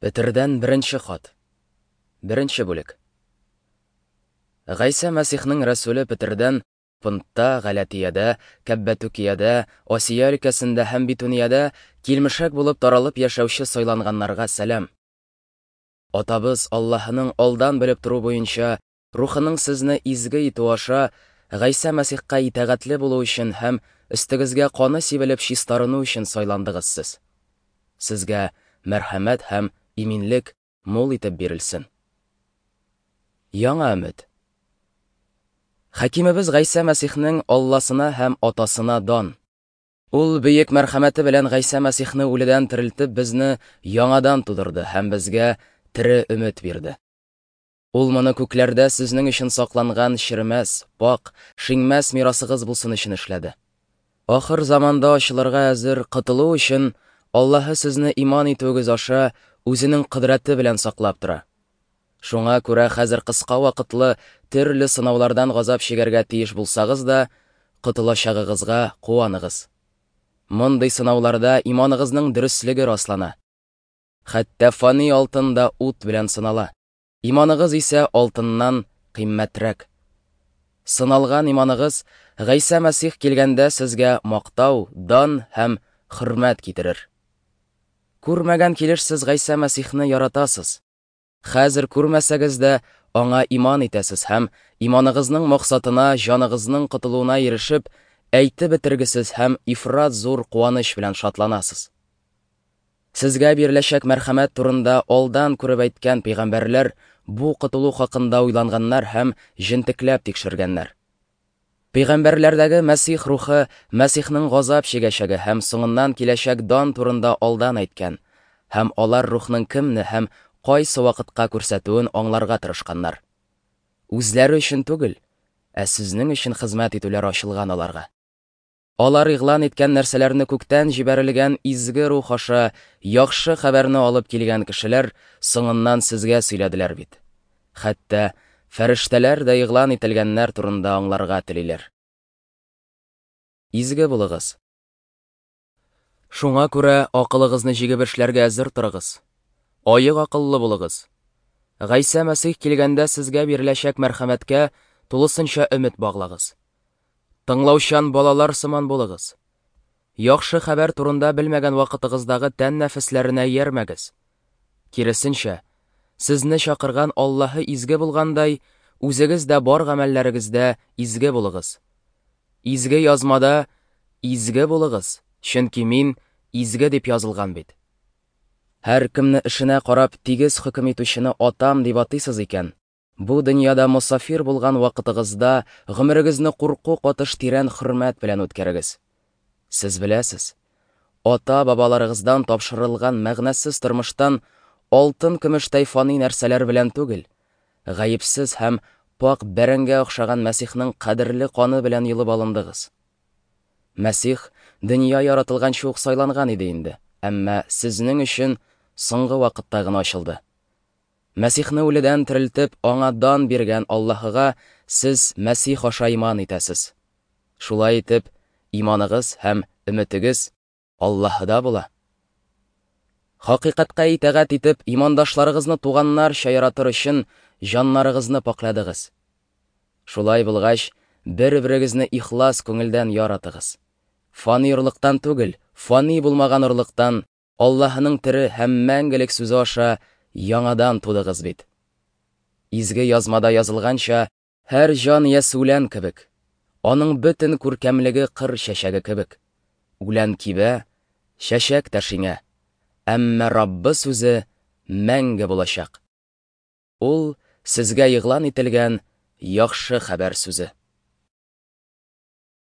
Петердән беренче хат. Беренче бүлек. Гайсә Мәсихнең рәсүле Петердән Понтта, Галәтиядә, Кәббәтүкиядә, Асия өлкәсендә һәм Битуниядә килмешәк булып таралып яшәүче сайланганнарга сәлам. Атабыз Аллаһының алдан белеп тору буенча Рухының сезне изге итү аша Гайсә Мәсихкә итагатьле булу өчен һәм өстегезгә каны сибелеп чистарыну өчен сайландыгыз сез. Сезгә мәрхәмәт һәм иминлек мул итеп бирелсен. Яңа өмет. Хакимебез Гайсә Мәсихнең Алласына һәм Атасына дан. Ул бөек мәрхәмәте белән Гайсә Мәсихне үледән терелтеп безне яңадан тудырды һәм безгә тере өмет бирде. Ул моны күкләрдә сезнең өчен сакланган черемәс, пак, шиңмәс мирасыгыз булсын өчен эшләде. Ахыр заманда ачылырга әзер котылу өчен Аллаһы сезне иман итүегез аша үзенең кодрәте белән саклап тора. Шуңа күрә хәзер кыска вакытлы төрле сынаулардан газап чигәргә тиеш булсагыз да, котылачагыгызга куаныгыз. Мондый сынауларда иманыгызның дөреслеге раслана. Хәтта фани алтын да ут белән сынала. Иманыгыз исә алтыннан кыйммәтрәк. Сыналган иманыгыз Гайсә Мәсих килгәндә сезгә мактау, дан һәм хөрмәт китерер. Күрмәгән килеш сез Гайсә Мәсихне яратасыз. Хәзер күрмәсәгез дә, аңа иман итәсез һәм иманыгызның максатына, җаныгызның котылуына ирешеп, әйтеп бетергесез һәм ифрат зур куаныч белән шатланасыз. Сезгә биреләчәк мәрхәмәт турында алдан күреп әйткән пәйгамбәрләр бу котылу хакында уйланганнар һәм җентекләп тикшергәннәр. Пәйгамбәрләрдәге Мәсих рухы Мәсихнең газап чигәчәге һәм соңыннан киләчәк дан турында алдан әйткән, һәм алар рухның кемне һәм кайсы вакытка күрсәтүен аңларга тырышканнар. Үзләре өчен түгел, ә сезнең өчен хезмәт итүләр ачылган аларга. Алар игълан иткән нәрсәләрне күктән җибәрелгән изге рух аша яхшы хәбәрне алып килгән кешеләр соңыннан сезгә сөйләделәр бит. Хәтта фәрештәләр дә игълан ителгәннәр турында аңларга телиләр. Изге булыгыз. Шуңа күрә акылыгызны җигеп эшләргә әзер торыгыз. Аек акыллы булыгыз. Гайсә Мәсих килгәндә сезгә биреләчәк мәрхәмәткә тулысынча өмет баглагыз. Тыңлаучан балалар сыман булыгыз. Яхшы хәбәр турында белмәгән вакытыгыздагы тән нәфесләренә иярмәгез. Киресенчә, сезне чакырган Аллаһы изге булгандай, үзегез дә бар гамәлләрегездә изге булыгыз. Изге язмада изге булыгыз, чөнки мин изге дип язылган бит. Һәр кемне эшенә карап тигез хөкем итүчене атам дип атыйсыз икән, бу дөньяда мосафир булган вакытыгызда гомерегезне курку катыш тирән хөрмәт белән үткәрегез. Сез беләсез, ата-бабаларыгыздан тапшырылган мәгънәсез тормыштан алтын-көмештәй фани нәрсәләр белән түгел, гаепсез һәм пак бәрәнгә охшаган Мәсихнең кадерле каны белән йолып алындыгыз. Мәсих дөнья яратылганчы ук сайланган иде инде, әмма сезнең өчен соңгы вакытта гына ачылды. Мәсихне үледән терелтеп, аңа дан биргән Аллаһыга сез Мәсих аша иман итәсез. Шулай итеп, иманыгыз һәм өметегез Аллаһыда була. Хакыйкатькә итагать итеп, имандашларыгызны туганнарча яратыр өчен җаннарыгызны пакладыгыз. Шулай булгач, бер-берегезне ихлас күңелдән яратыгыз. Фани орлыктан түгел, фани булмаган орлыктан Аллаһының тере һәм мәңгелек сүзе аша яңадан тудыгыз бит. Изге язмада язылганча, һәр җан иясе үлән кебек, аның бөтен күркәмлеге кыр чәчәге кебек. Үлән кибә, чәчәк тә шиңә, әмма Раббы сүзе мәңге булачак. Ул сезгә игълан ителгән яхшы хәбәр сүзе.